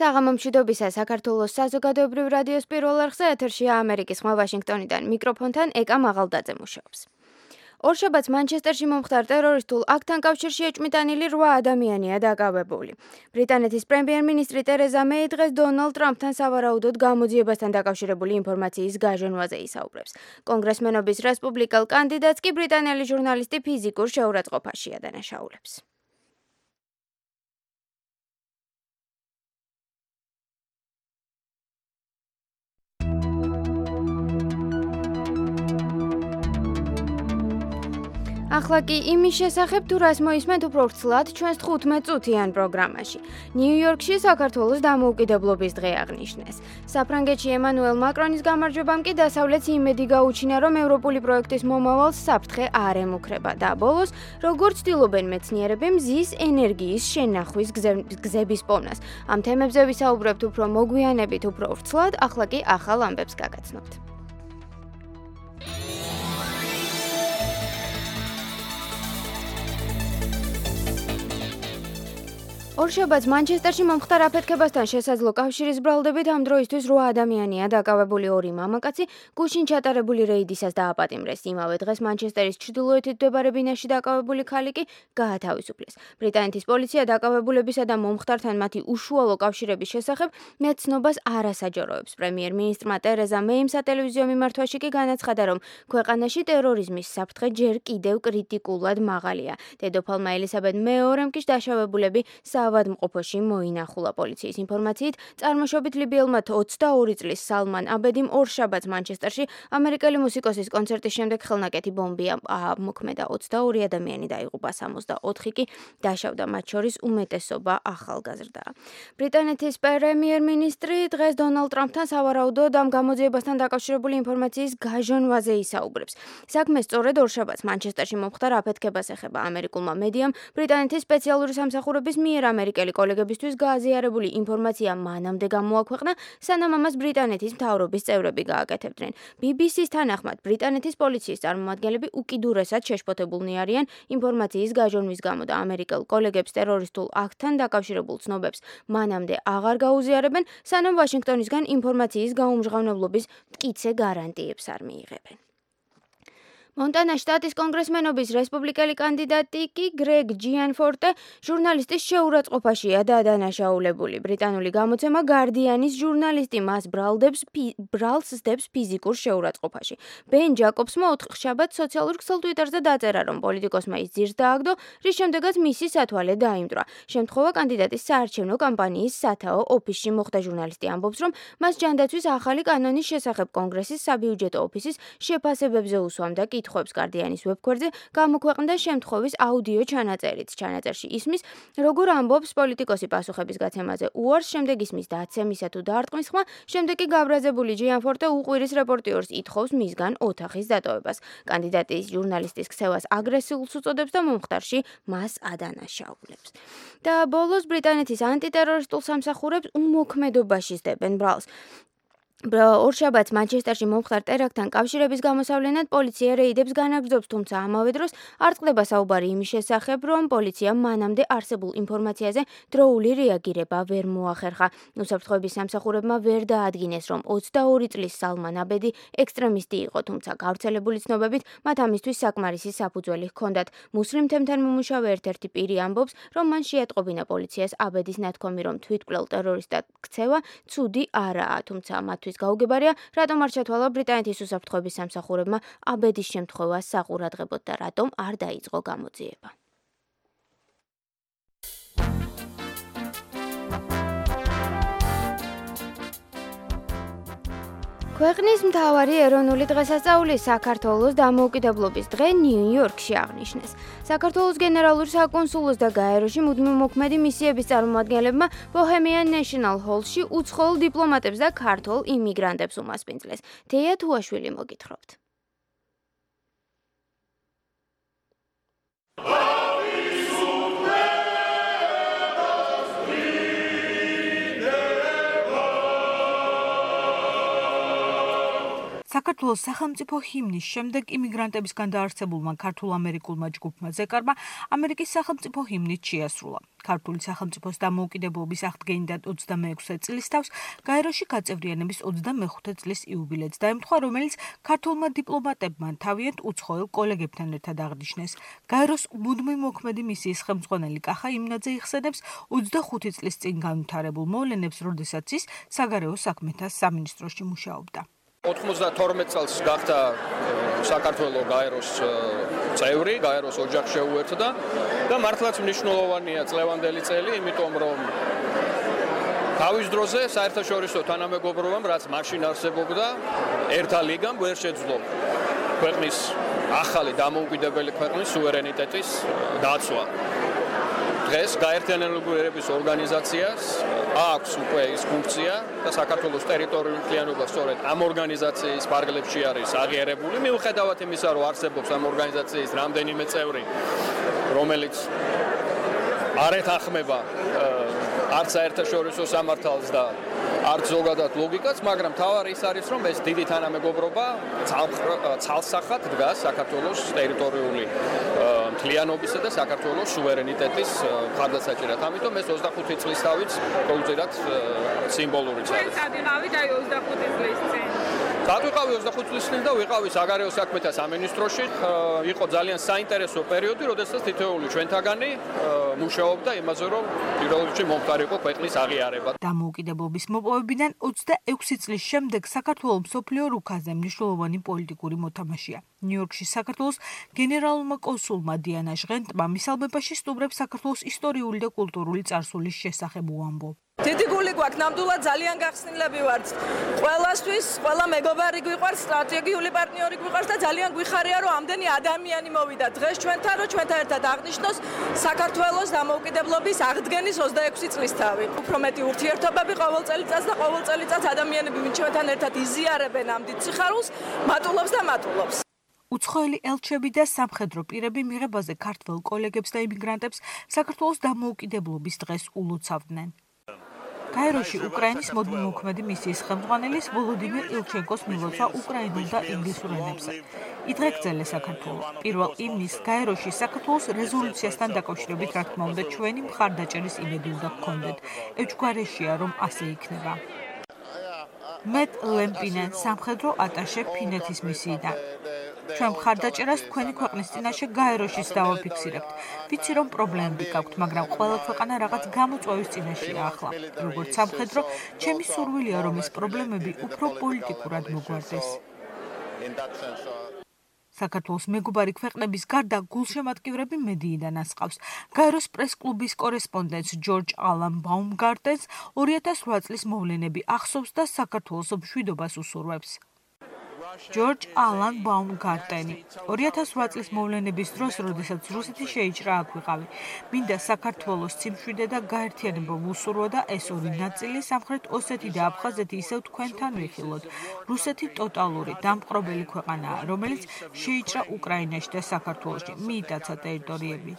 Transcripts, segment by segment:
საღამო მშვიდობისა საქართველოს საზოგადოებრივ რადიოს პირველ არხზე ეთერშია ამერიკის ხმა ვაშინგტონიდან მიკროფონთან ეკა მაღალდაძე მუშაობს. ორშაბათს მანჩესტერში მომხდარ ტერორისტულ აქტთან კავშირში ეჭვმიტანილი 8 ადამიანია დაკავებული. ბრიტანეთის პრემიერ-მინისტრი ტერეზა მეი დღეს დონალდ ტრამპთან სავარაუდოდ გამოძიებასთან დაკავშირებული ინფორმაციის გაჟონვაზე ისაუბრებს. კონგრესმენობის რესპუბლიკელ კანდიდატს კი ბრიტანელი ჟურნალისტი ფიზიკურ შეურაცხყოფაში ადანაშაულებს. ახლა კი იმის შესახებ თუ რას მოისმენთ უფრო ვრცლად ჩვენს 15 წუთიან პროგრამაში. ნიუ-იორკში საქართველოს დამოუკიდებლობის დღე აღნიშნეს. საფრანგეთში ემანუელ მაკრონის გამარჯვებამ კი დასავლეთს იმედი გაუჩინა, რომ ევროპული პროექტის მომავალს საფრთხე არ ემუქრება და ბოლოს, როგორც ცდილობენ მეცნიერები, მზის ენერგიის შენახვის გზების პოვნას. ამ თემებზე ვისაუბრებთ უფრო მოგვიანებით, უფრო ვრცლად, ახლა კი ახალ ამბებს გაგაცნობთ. ორშაბათს მანჩესტერში მომხდარ აფეთქებასთან შესაძლო კავშირის ბრალდებით ამ დროისთვის 8 ადამიანია დაკავებული 2 მამაკაცი გუშინ ჩატარებული რეიდისას დააპატიმრეს. იმავე დღეს მანჩესტერის ჩრდილოეთით მდებარე ბინაში დაკავებული ქალი კი გაათავისუფლეს. ბრიტანეთის პოლიცია დაკავებულებისა და მომხდართან მათი უშუალო კავშირების შესახებ მეცნობას არ ასაჯაროებს. პრემიერ-მინისტრმა ტერეზა მეიმ სატელევიზიო მიმართვაში კი განაცხადა, რომ ქვეყანაში ტერორიზმის საფრთხე ჯერ კიდევ კრიტიკულად მაღალია. დედოფალმა ელისაბედ მეორემ კი დაშავებულები ავადმყოფოში მოინახულა. პოლიციის ინფორმაციით, წარმოშობით ლიბიელმა 22 წლის სალმან აბედიმ ორშაბათს მანჩესტერში ამერიკელი მუსიკოსის კონცერტის შემდეგ ხელნაკეთი ბომბი მოქმედა. 22 ადამიანი დაიღუპა, 64 კი დაშავდა, მათ შორის უმეტესობა ახალგაზრდაა. ბრიტანეთის პრემიერ-მინისტრი დღეს დონალდ ტრამპთან სავარაუდოდ ამ გამოძიებასთან დაკავშირებული ინფორმაციის გაჟონვაზე ისაუბრებს. საქმე სწორედ ორშაბათს მანჩესტერში მომხდარ აფეთქებას ეხება. ამერიკულმა მედიამ ბრიტანეთის სპეციალური სამსახურების მიერ ამერიკელი კოლეგებისთვის გააზიარებული ინფორმაცია მანამდე გამოაქვეყნა, სანამ ამას ბრიტანეთის მთავრობის წევრები გააკეთებდნენ. BBC-ს თანახმად, ბრიტანეთის პოლიციის წარმომადგენლები უკიდურესად შეშფოთებულნი არიან ინფორმაციის გაჟონვის გამო და ამერიკელ კოლეგებს ტერორისტულ აქტთან დაკავშირებულ ცნობებს მანამდე აღარ გაუზიარებენ, სანამ ვაშინგტონისგან ინფორმაციის გაუმჟღავნებლობის მტკიცე გარანტიებს არ მიიღებენ. მონტანას შტატის კონგრესმენობის რესპუბლიკელი კანდიდატი კი გრეგ ჯიანფორტე ჟურნალისტის შეურაცხყოფაშია დადანაშაულებული. ბრიტანული გამოცემა გარდიანის ჟურნალისტი მას ბრალს სდებს ფიზიკურ შეურაცხყოფაში. ბენ ჯაკობსმა ოთხშაბათს სოციალურ ქსელ ტვიტერზე დაწერა, რომ პოლიტიკოსმა ის ძირს დააგდო, რის შემდეგაც მისი სათვალე დაიმტვრა. შემთხვევა კანდიდატის საარჩევნო კამპანიის სათაო ოფისში მოხდა. ჟურნალისტი ამბობს, რომ მას ჯანდაცვის ახალი კანონის შესახებ კონგრესის საბიუჯეტო ოფისის შეფასებებზე უსვამდა კითხვებს. გარდიანის ვებგვერდზე გამოქვეყნდა შემთხვევის აუდიო ჩანაწერიც. ჩანაწერში ისმის, როგორ ამბობს პოლიტიკოსი პასუხების გაცემაზე უარს, შემდეგ ისმის დაცემისა თუ დარტყმის ხმა, შემდეგ კი გაბრაზებული ჯიანფორტე უყვირის რეპორტიორს ითხოვს მისგან ოთახის დატოვებას. კანდიდატის ჟურნალისტის ქცევას აგრესიულს უწოდებს და მომხდარში მას ადანაშაულებს. და ბოლოს ბრიტანეთის ანტიტერორისტულ სამსახურებს უმოქმედობაში სდებენ ბრალს. ორშაბათს მანჩესტერში მომხდარ ტერაქტთან კავშირების გამოსავლენად პოლიცია რეიდებს განაგრძობს, თუმცა ამავე დროს არ წყდება საუბარი იმის შესახებ, რომ პოლიციამ მანამდე არსებულ ინფორმაციაზე დროული რეაგირება ვერ მოახერხა. უსაფრთხოების სამსახურებმა ვერ დაადგინეს, რომ 22 წლის სალმან აბედი ექსტრემისტი იყო, თუმცა გავრცელებული ცნობებით მათ ამისთვის საკმარისი საფუძველი ჰქონდათ. მუსლიმ თემთან მომუშავე ერთ-ერთი პირი ამბობს, რომ მან შეატყობინა პოლიციას აბედის ნათქვამი, რომ თვითმკვლელ ტერორისტად ქცევა ცუდი არაა, თუმცა მათთვის გაუგებარია, რატომ არ ჩათვალა ბრიტანეთის უსაფრთხოების სამსახურებმა აბედის შემთხვევას საყურადღებოდ და რატომ არ დაიწყო გამოძიება. ქვეყნის მთავარი ეროვნული დღესასწაული საქართველოს დამოუკიდებლობის დღე ნიუ-იორკში აღნიშნეს. საქართველოს გენერალურ საკონსულოს და გაეროში მუდმივ მოქმედი მისიების წარმომადგენლებმა ბოჰემიან ნეშნალ ჰოლში უცხოელ დიპლომატებს და ქართულ იმიგრანტებს უმასპინძლეს. თეა თუაშვილი მოგითხრობთ. საქართველოს სახელმწიფო ჰიმნის შემდეგ იმიგრანტებისგან დაარსებულმა ქართულ-ამერიკულმა ჯგუფმა ზეკარმა ამერიკის სახელმწიფო ჰიმნით შეასრულა. ქართული სახელმწიფოს დამოუკიდებლობის აღდგენიდან 26 წლის თავს გაეროში გაწევრიანების 25 წლის იუბილეც დაემთხვა, რომელიც ქართულმა დიპლომატებმა თავიანთ უცხოელ კოლეგებთან ერთად აღნიშნეს. გაეროს მუდმივი მოქმედი მისიის ხელმძღვანელი კახა იმნაძე იხსენებს 25 წლის წინ განვითარებულ მოვლენებს, როდესაც ის საგარეო საქმეთა სამინისტროში მუშაობდა. 92 წელს გახდა საქართველოს გაეროს წევრი, გაეროს ოჯახს შეუერთდა და მართლაც მნიშვნელოვანია წლევანდელი წელი, იმიტომ რომ თავის დროზე საერთაშორისო თანამეგობრობამ, რაც მაშინ არსებობდა, ერთა ლიგამ ვერ შეძლო ქვეყნის ახალი დამოუკიდებელი ქვეყნის სუვერენიტეტის დაცვა. დღეს გაერთიანებული ერების ორგანიზაციას აქვს უკვე ის ფუნქცია და საქართველოს ტერიტორიული მთლიანობა სწორედ ამ ორგანიზაციის ფარგლებში არის აღიარებული. მიუხედავად იმისა, რომ არსებობს ამ ორგანიზაციის რამდენიმე წევრი, რომელიც არ ეთანხმება არც საერთაშორისო სამართალს და არც ზოგადად ლოგიკას, მაგრამ თავარი ის არის, რომ ეს დიდი თანამეგობრობა ცალსახად დგას საქართველოს ტერიტორიული მთლიანობისა და საქართველოს სუვერენიტეტის მხარდასაჭერად. ამიტომ ეს 25 წლის თავიც პროუზერად სიმბოლურიც არის. ვიყავით აი 25 წლის წინ. ვიყავი 25 წლის წინ და ვიყავი საგარეო საქმეთა სამინისტროში. იყო ძალიან საინტერესო პერიოდი, როდესაც თითოეული ჩვენთაგანი მუშაობდა იმაზე, რომ პირველ რიგში მომხდარიყო ქვეყნის აღიარება. დამოუკიდებლობის მოპოვებიდან 26 წლის შემდეგ საქართველოს მსოფლიო რუქაზე მნიშვნელოვანი პოლიტიკური მოთამაშეა. ნიუ-იორკში საქართველოს გენერალურმა კონსულმა დიანა ჟღენტმა მისალმებაში სტუმრებს საქართველოს ისტორიული და კულტურული წარსულის შესახებ უამბო. დიდი გული გვაქვს, ნამდვილად ძალიან გახსნილები ვართ. ყველასთვის, ყველა მეგობარი გვიყვარს, სტრატეგიული პარტნიორი გვიყვარს და ძალიან გვიხარია, რომ ამდენი ადამიანი მოვიდა დღეს ჩვენთან, რომ ჩვენთან ერთად აღნიშნოს საქართველოს დამოუკიდებლობის აღდგენის 26 წლის თავი. უფრო მეტი ურთიერთობები ყოველ წელიწადს და ყოველ წელიწადს ადამიანები, ვინც ჩვენთან ერთად იზიარებენ ამ დიდ სიხარულს, მატულობს და მატულობს. უცხოელი ელჩები და სამხედრო პირები მიღებაზე ქართველ კოლეგებს და იმიგრანტებს საქართველოს დამოუკიდებლობის დღეს ულოცავდნენ. გაეროში უკრაინის მოდმოქმედი მისიის ხელმძღვანელის ვოლოდიმირ ილჩენკოს მილოცვა უკრაინულ და ინგლისურ ენებზე. იდღეგრძელეს საქართველო. პირველ ივნისს გაეროში საქართველოს რეზოლუციასთან დაკავშირებით, რა თქმა უნდა, ჩვენი მხარდაჭერის იმედი უნდა გქონდეთ. ეჭვგარეშეა, რომ ასე იქნება. მეტ ლემპინე, სამხედრო ატაშე ფინეთის მისიიდან. ჩვენ მხარდაჭერას თქვენი ქვეყნის წინაშე გაეროშიც დავაფიქსირებთ. ვიცი, რომ პრობლემები გაქვთ, მაგრამ ყველა ქვეყანა რაღაც გამოწვევის წინაშეა ახლა. როგორც სამხედრო, ჩემი სურვილია, რომ ეს პრობლემები უფრო პოლიტიკურად მოგვარდეს. საქართველოს მეგობარი ქვეყნების გარდა გულშემატკივრები მედიიდან ასყავს. გაეროს პრეს-კლუბის კორესპონდენტს ჯორჯ ალან ბაუმგარტენს 2008 წლის მოვლენები ახსოვს და საქართველოს მშვიდობას უსურვებს. ჯორჯ ალან ბაუმგარტენი 2008 წლის მოვლენების დროს, როდესაც რუსეთი შეიჭრა აქ ვიყავი. მინდა საქართველოს სიმშვიდე და გაერთიანება ვუსურვო და ეს ორი ნაწილი, სამხრეთ ოსეთი და აფხაზეთი ისევ თქვენთან ვიხილოთ. რუსეთი ტოტალური, დამპყრობელი ქვეყანაა, რომელიც შეიჭრა უკრაინაში და საქართველოში, მიიტაცა ტერიტორიები.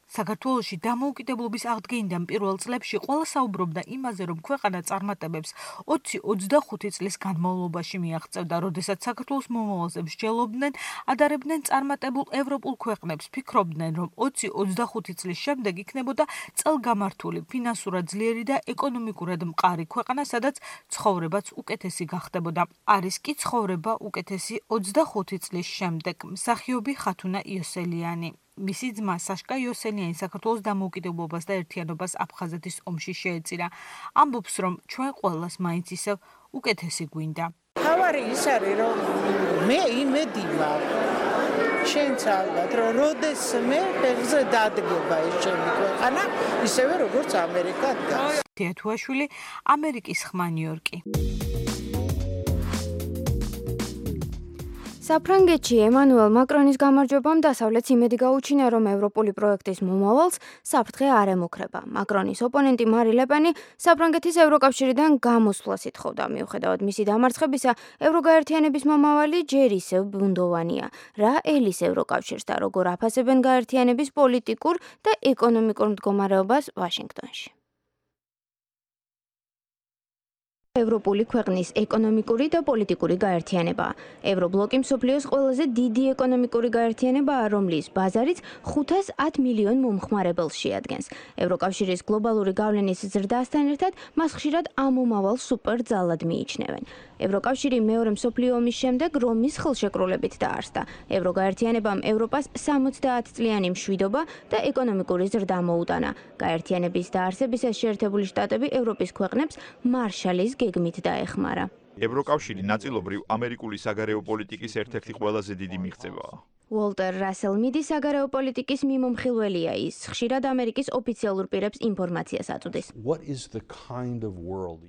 საქართველოში დამოუკიდებლობის აღდგენიდან პირველ წლებში ყველა საუბრობდა იმაზე, რომ ქვეყანა წარმატებებს 20-25 წლის განმავლობაში მიაღწევდა, როდესაც საქართველოს მომავალზე მსჯელობდნენ, ადარებდნენ წარმატებულ ევროპულ ქვეყნებს, ფიქრობდნენ, რომ 20-25 წლის შემდეგ იქნებოდა წელგამართული, ფინანსურად ძლიერი და ეკონომიკურად მყარი ქვეყანა, სადაც ცხოვრებაც უკეთესი გახდებოდა. არის კი ცხოვრება უკეთესი 25 წლის შემდეგ. მსახიობი ხათუნა იოსელიანი. მისი ძმა საშკა იოსელიანი საქართველოს დამოუკიდებლობას და ერთიანობას აფხაზეთის ომში შეეწირა. ამბობს, რომ ჩვენ ყველას მაინც ისევ უკეთესი გვინდა. თავარი ის არის, რომ მე იმედი მაქვს. შენც ალბათ, რომ როდესმე ფეხზე დადგება ეს ჩემი ქვეყანა, ისევე როგორც ამერიკა დგას. თეათუაშვილი, ამერიკის ხმა ნიუ-იორკი. საფრანგეთში ემანუელ მაკრონის გამარჯვებამ დასავლეთს იმედი გაუჩინა, რომ ევროპული პროექტის მომავალს საფრთხე არ ემუქრება. მაკრონის ოპონენტი მარი ლეპენი საფრანგეთის ევროკავშირიდან გამოსვლას ითხოვდა. მიუხედავად მისი დამარცხებისა, ევროგაერთიანების მომავალი ჯერ ისევ ბუნდოვანია. რა ელის ევროკავშირს და როგორ აფასებენ გაერთიანების პოლიტიკურ და ეკონომიკურ მდგომარეობას ვაშინგტონში. ევროპული ქვეყნის ეკონომიკური და პოლიტიკური გაერთიანება. ევრობლოკი მსოფლიოს ყველაზე დიდი ეკონომიკური გაერთიანებაა, რომლის ბაზარიც 510 მილიონ მომხმარებელს შეადგენს. ევროკავშირის გლობალური გავლენის ზრდასთან ერთად მას ხშირად ამომავალ სუპერძალად მიიჩნევენ. ევროკავშირი მეორე მსოფლიო ომის შემდეგ რომის ხელშეკრულებით დაარსდა. ევროგაერთიანებამ ევროპას 70 წლიანი მშვიდობა და ეკონომიკური ზრდა მოუტანა. გაერთიანების დაარსებისას შეერთებული შტატები ევროპის ქვეყნებს მარშალის გეგმით დაეხმარა. ევროკავშირი ნაწილობრივ ამერიკული საგარეო პოლიტიკის ერთ-ერთი ყველაზე დიდი მიღწევაა. უოლტერ რასელ მიდი საგარეო პოლიტიკის მიმომხილველია, ის ხშირად ამერიკის ოფიციალურ პირებს ინფორმაციას აწვდის.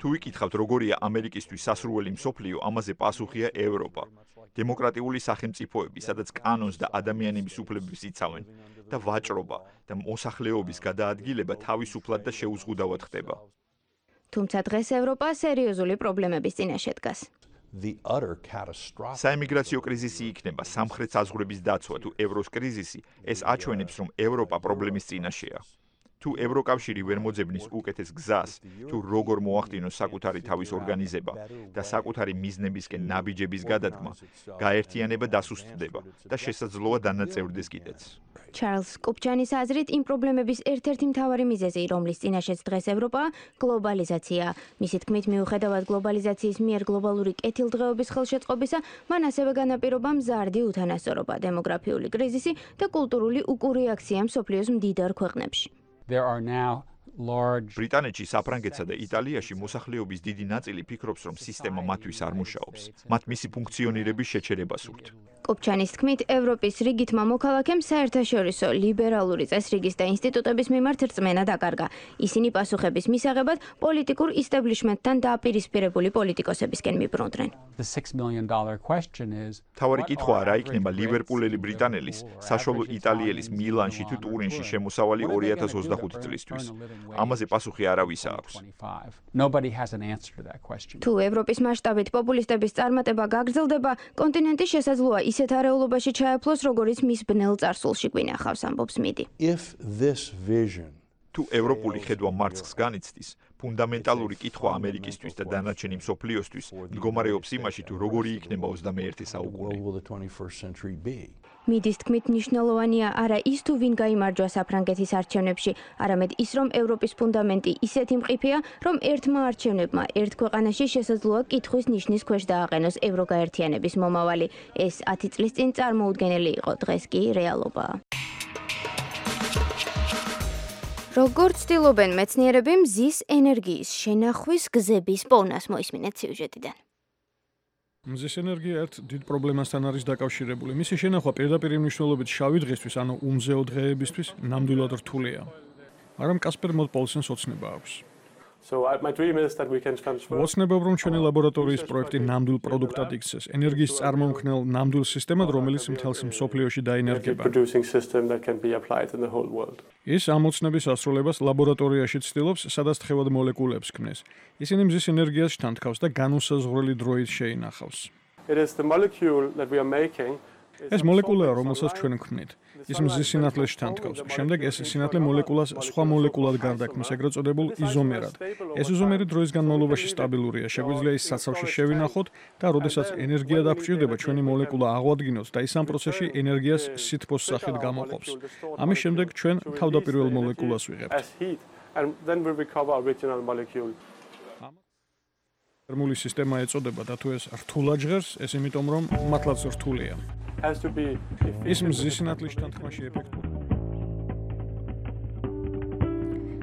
თუ ვიკითხავთ, როგორია ამერიკისთვის სასურველი მსოფლიო, ამაზე პასუხია ევროპა. დემოკრატიული სახელმწიფოები, სადაც კანონს და ადამიანების უფლებებს იცავენ და ვაჭრობა და მოსახლეობის გადაადგილება თავისუფლად და შეუზღუდავად ხდება. თუმცა დღეს ევროპა სერიოზული პრობლემების წინაშე დგას. საემიგრაციო კრიზისი იქნება, სამხრეთ საზღვრების დაცვა თუ ევროს კრიზისი, ეს აჩვენებს, რომ ევროპა პრობლემის წინაშეა. თუ ევროკავშირი ვერ მოძებნის უკეთეს გზას, თუ როგორ მოახდინოს საკუთარი თავის ორგანიზება და საკუთარი მიზნებისკენ ნაბიჯების გადადგმა, გაერთიანება დასუსტდება და შესაძლოა დანაწევრდეს კიდეც. ჩარლზ კუპჩანის აზრით, იმ პრობლემების ერთ-ერთი მთავარი მიზეზი, რომლის წინაშეც დღეს ევროპაა, გლობალიზაცია. მისი თქმით, მიუხედავად გლობალიზაციის მიერ გლობალური კეთილდღეობის ხელშეწყობისა, მან ასევე განაპირობა მზარდი უთანასწორობა, დემოგრაფიული კრიზისი და კულტურული უკურეაქცია მსოფლიოს მდიდარ ქვეყნებში. ბრიტანეთში, საფრანგეთსა და იტალიაში მოსახლეობის დიდი ნაწილი ფიქრობს, რომ სისტემა მათთვის არ მუშაობს. მათ მისი ფუნქციონირების შეჩერება სურთ. კუპჩანის თქმით, ევროპის რიგითმა მოქალაქემ საერთაშორისო ლიბერალური წესრიგის და ინსტიტუტების მიმართ რწმენა დაკარგა. ისინი პასუხების მისაღებად პოლიტიკურ ისტაბლიშმენტთან დააპირისპირებული პოლიტიკოსებისკენ მიბრუნდნენ. თავარი კითხვაა, რა იქნება ლივერპულელი ბრიტანელის, საშუალო იტალიელის მილანში თუ ტურინში შემოსავალი 2025 წლისთვის. ამაზე პასუხი არავის აქვს. თუ ევროპის მასშტაბით პოპულისტების წარმატება გაგრძელდება, კონტინენტი შესაძლოა ისეთ არეულობაში ჩაეფლოს, როგორიც მის ბნელ წარსულში გვინახავს, ამბობს მიდი. თუ ევროპული ხედვა მარცხს განიცდის, ფუნდამენტალური კითხვა ამერიკისთვის და დანარჩენი მსოფლიოსთვის მდგომარეობს იმაში, თუ როგორი იქნება 21 საუკუნე. მიდის თქმით, მნიშვნელოვანია არა ის, თუ ვინ გაიმარჯვა საფრანგეთის არჩევნებში, არამედ ის, რომ ევროპის ფუნდამენტი ისეთი მყიფეა, რომ ერთმა არჩევნებმა ერთ ქვეყანაში შესაძლოა კითხვის ნიშნის ქვეშ დააყენოს ევროგაერთიანების მომავალი. ეს 10 წლის წინ წარმოუდგენელი იყო, დღეს კი რეალობაა. როგორც ცდილობენ მეცნიერები მზის ენერგიის შენახვის გზების პოვნას, მოისმინეთ სიუჟეტიდან. მზის ენერგია ერთ დიდ პრობლემასთან არის დაკავშირებული. მისი შენახვა პირდაპირ მნიშვნელობით შავი დღისთვის, ანუ უმზეო დღეებისთვის ნამდვილად რთულია. მაგრამ კასპერ მოდპოლსენს ოცნება აქვს. ოცნებობ, რომ ჩვენი ლაბორატორიის პროექტი ნამდვილ პროდუქტად იქცეს, ენერგიის წარმომქმნელ ნამდვილ სისტემად, რომელიც მთელს მსოფლიოში დაინერგება. ის ამ ოცნების ასრულებას ლაბორატორიაში ცდილობს, სადაც თხევად მოლეკულებს ქმნეს. ისინი მზის ენერგიას შთანთქავს და განუსაზღვრელი დროით შეინახავს. ეს მოლეკულაა, რომელსაც ჩვენ ვქმნით. ის მზის სინათლეს შთანთქავს. შემდეგ ეს სინათლე მოლეკულას სხვა მოლეკულად გარდაქმნის, ეგრეთ წოდებულ იზომერად. ეს იზომერი დროის განმავლობაში სტაბილურია. შეგვიძლია ის საცავში შევინახოთ და როდესაც ენერგია დაგჭირდება, ჩვენი მოლეკულა აღვადგინოთ და ის ამ პროცესში ენერგიას სითბოს სახით გამოყოფს. ამის შემდეგ ჩვენ თავდაპირველ მოლეკულას ვიღებთ. თერმული სისტემა ეწოდება და თუ ეს რთულად ჟღერს, ეს იმიტომ რომ მართლაც რთულია. ის მზის სინათლის შთანთქმაში ეფექტური.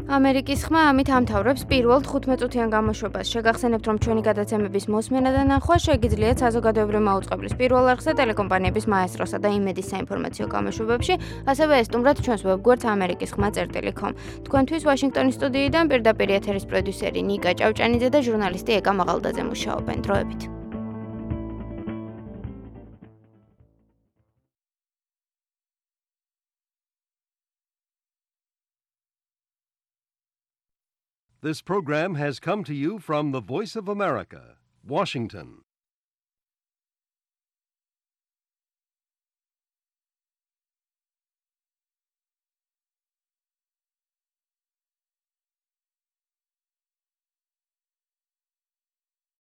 ამერიკის ხმა ამით ამთავრებს პირველ 15 წუთიან გამოშვებას. შეგახსენებთ, რომ ჩვენი გადაცემების მოსმენა და ნახვა შეგიძლიათ საზოგადოებრივ მაუწყებლის პირველ არხზე, ტელეკომპანიების მაესტროსა და იმედის საინფორმაციო გამოშვებებში, ასევე ესტუმრად ჩვენს ვებგვერდს amerikiskhma.com. თქვენთვის ვაშინგტონის სტუდიიდან პირდაპირ ეთერის პროდიუსერი ნიკა ჭავჭანიძე და ჟურნალისტი ეკა მაღალდაძე მუშაობენ. დროებით. This program has come to you from the Voice of America, Washington.